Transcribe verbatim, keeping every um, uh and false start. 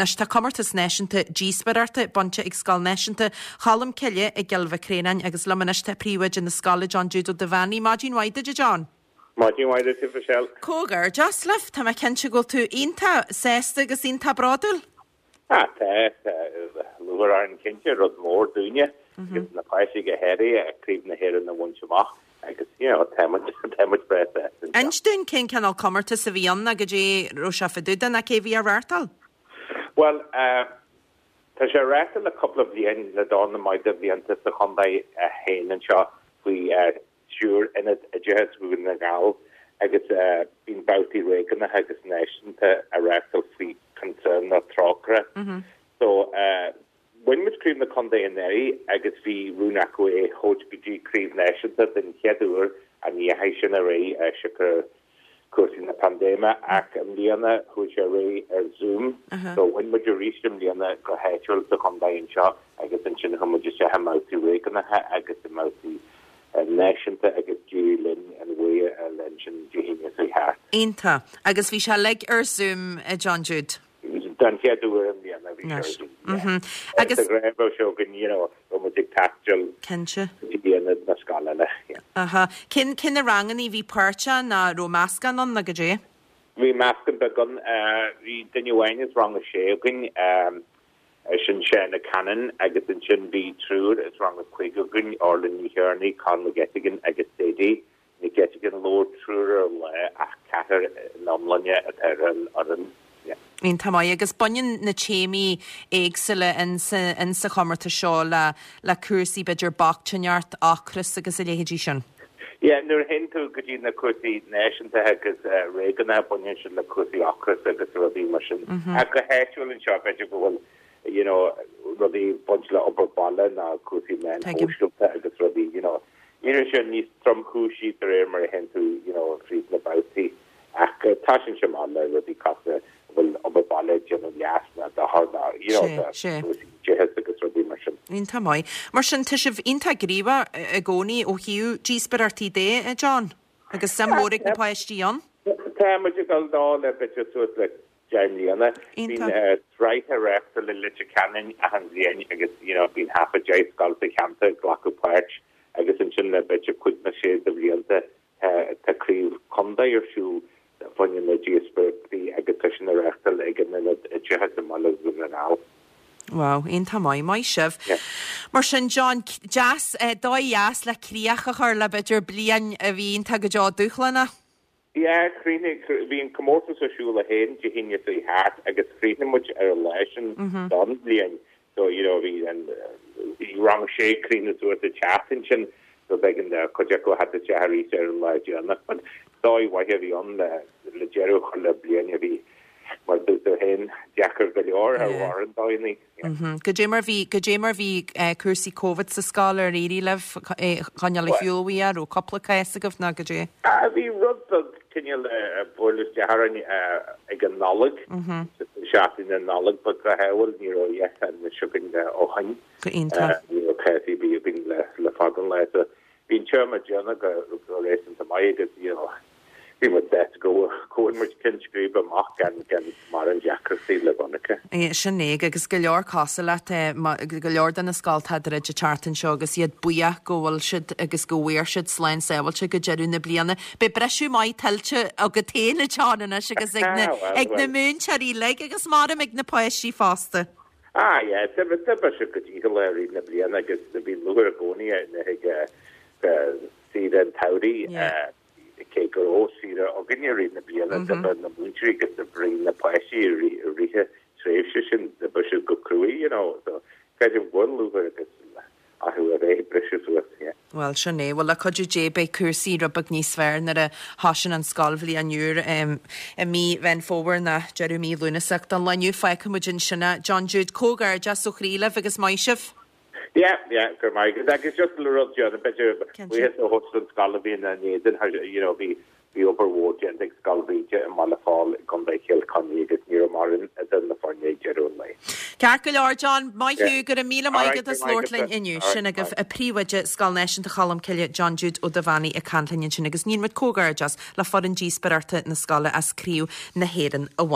Anois tá comórtas náisiúnta díospóireachta bainte ag Scoil Náisiúnta Cholm Cille i gCill Mhic Réanáin agus liom anois tá príomhoide na scoile John Jude Ó Duibheannaigh. Maidin mhaith duit, a John. Maidin mhaith duit, Michelle. Comhghairdeas libh, tá mé cinnte go bhfuil tú iontach sásta agus iontach bródúil. Ah, tá lúcháir orainn cinnte rud mór dúinne agus na páistí go háirithe Craobh na hÉireann a bhaint amach agus you know, tá muid tá muid breá sásta. Inis dúinn cén cineál comórtas a bhí ann agus cad é raibh sé fá dtaobh de nó cé bhí á reáchtáil? Well, uh, tá sé reáchtáil le cúpla bliain le dornán maith de bhlianta sa chontae féin anseo faoi uh, stiúir Ionad Oideachais Dhún na nGall agus uh, bíonn babhtaí réigiúnacha agus náisiúnta á reáchtáil faoi Concern nó Trócaire. Mm -hmm. So uh, bhain muid craobh na contae anuraidh agus bhí rún acu é a thabhairt go dtí craobh náisiúnta den chéad uair an dheachaigh sin ar aghaidh uh, siocair cúrsaí na paindéime ach i mbliana chuaigh sé ar aghaidh ar Zoom Uh -huh. so bhain muid arís i mbliana go háitiúil sa chontae anseo agus ansin chuaigh muid isteach i mbabhtaí réigiúnacha agus i mbabhtaí náisiúnta agus d'éirigh linn an bua a fháil sin Dé hAoine seo thart. Iontach agus bhí sé uilig ar Zoom a John Jude. Den chéad uair i mbliana bhí Yes. sé ar Zoom, Mm yeah. -hmm. Agus Agus raibh seo go you know, muid ag taisteal cinnte. ionad na scoile le. yeah. Aha. Cin cin na ranganna bhí páirteach nó raibh meascán ann nó goidé? Bhí meascán beag ann bhí duine amháin as rang a sé againn um, sin sé na Canon agus ansin bhí triúr as rang a cúig againn Orla Ní Chearnaigh, Con McGettigan agus Sadie. McGettigan labhair triúr ar lá ach ceathrar in iomláine atá ar an fhoireann. Yeah. Iontach maith agus baineann na téamaí éagsúla in sa, in sa chomórtas seo le le cúrsaí b'fhéidir bochtaineacht, ocras agus a leithéidí sin. Yeah, nuair a théann tú go dtí na cúrsaí náisiúnta agus uh, réigiúnacha baineann siad le cúrsaí ocras agus rudaí mar sin. Mm -hmm. Ach go háitiúil anseo b'fhéidir go bhfuil you know, rudaí baint le obair baile ná cúrsaí meáin Tuigim. shóisialta agus rudaí you know, Ní sin níos tromchúisí de réir mar a théann tú you know, fríd na babhtaí ach uh, tá sin sem le rudaí casta bhfuil obair baile déanamh leas na dothar ná you know, Sé, the sé. cúrsaí oideachais agus rudaí mar sin. Iontach maith. Mar sin tá sibh iontach gníomhach i gcónaí ó thaobh díospóireachtaí de, a John, agus suim mhór ag na páistí ann. Tá muid ag dul dá le b'fhéidir suas le deich mbliana. Iontach. Bíonn sraith á reáchtáil i Leitir Ceanainn achan bhliain agus you know, bíonn thart ar deich scoil sa cheantar ag glacadh páirt agus ansin le b'fhéidir cúig nó sé de bhlianta tá craobh contae ar siúl fá choinne na díospóireachtaí agus tá sin á reáchtáil ag an Ionad Oideachais i mBaile Dhún na nGall. Wow, iontach maith maith sibh. Yeah. Mar sin John deas eh, dóigh dheas le críoch a chur le b'fhéidir bliain a bhí iontach go deo dúshlánach. Ja, chríochnaigh bhí an comórtas ar siúl a haon Dé hAoine seo thart agus chríochnaigh muid ar an lá sin don bhliain. So you know bhí an bhí rang sé críochnaithe suas sa tseachtain sin so b'éigean do chuid acu a theacht isteach arís ar an lá deireanach. But dóigh mhaith a bhí ann le le deireadh a chur le bliain a bhí mar dúirt tú féin deacair go leor ar Yeah. mhórán daoine. Yeah. Mm -hmm. Goidé mar bhí goidé mar bhí eh, cúrsaí COVID sa scoil ar éirigh libh coinneáil Well- shiúl ar cúpla cás agaibh nó goidé. Ah, bhí rud beag cineál bualadh isteach orainn ag an Nollaig seachtain na Nollag ba go hehfuil ní raibh an sugan ó shin. Go iontach. Ní raibh cás ar bith againn le le fada an lá so bhí an téarma déanamh go go réasúnta maith agus you know, bhí muid sásta go go muid Ceann Scríbe amach gan gan mórán deacrachtaí le bonncha. É, sin é agus go leor cosúil leat eh, ma- go leor de na scoltacha a teartan seo agus iad buíoch go bhfuil siad agus go bhfuair siad slán sábháilte go deireadh na bliana. Beidh briseadh maith tuillte agat féin a John anois agus ag na, Ah, well, ag na well. múinteoirí uilig agus maram ag na páistí fosta. Ah, yeah, tá tá se go dtí le rí na bliana agus bhí lúcháir i gcónaí na ag saoire an tsamhraidh Yeah. cé go raibh saoire againn i rith na bliana d'oibrigh na múinteoirí agus d'oibrigh na páistí i rith na tréimhse sin d'oibrigh siad go cruaidh, you know, so creidim go bhfuil lúcháir agus acu a bheith briseadh suas, yeah. Well sin é, well le cuidiú Dé beidh cúrsaí rud beag níos fearr nuair a thosaíonn an scoilbhliain úr um, i mí Mheán Fómhair nó deireadh mí Lúnasa don lá inniu fágfaidh muid ansin é. John Jude comhghairdeas ó chroí libh agus maith sibh. Yeah, yeah, gur maith. Agus just le rud John, b'fhéidir Cinnte. buíochas a thabhairt don scoil a bhí ina n-éadan, you know, bhí bhí obair mhór déanta ag Scoil Bhríde i mBaile Fáil i gContae Chill Chainnigh agus ní raibh mórán idir na foirne ag deireadh an lae. Ceart go leor John, maith Yeah. thú go raibh míle maith Alright, agat as go maith labhairt linn agat. inniu. Alright, Sin agaibh bye. a príomhoide Scoil Náisiúnta Cholm Cille John Jude Ó Duibheannaigh ag caint linn ansin agus ní muid comhghairdeas le foireann díospóireachta na scoile as Craobh na hÉireann a bhaint.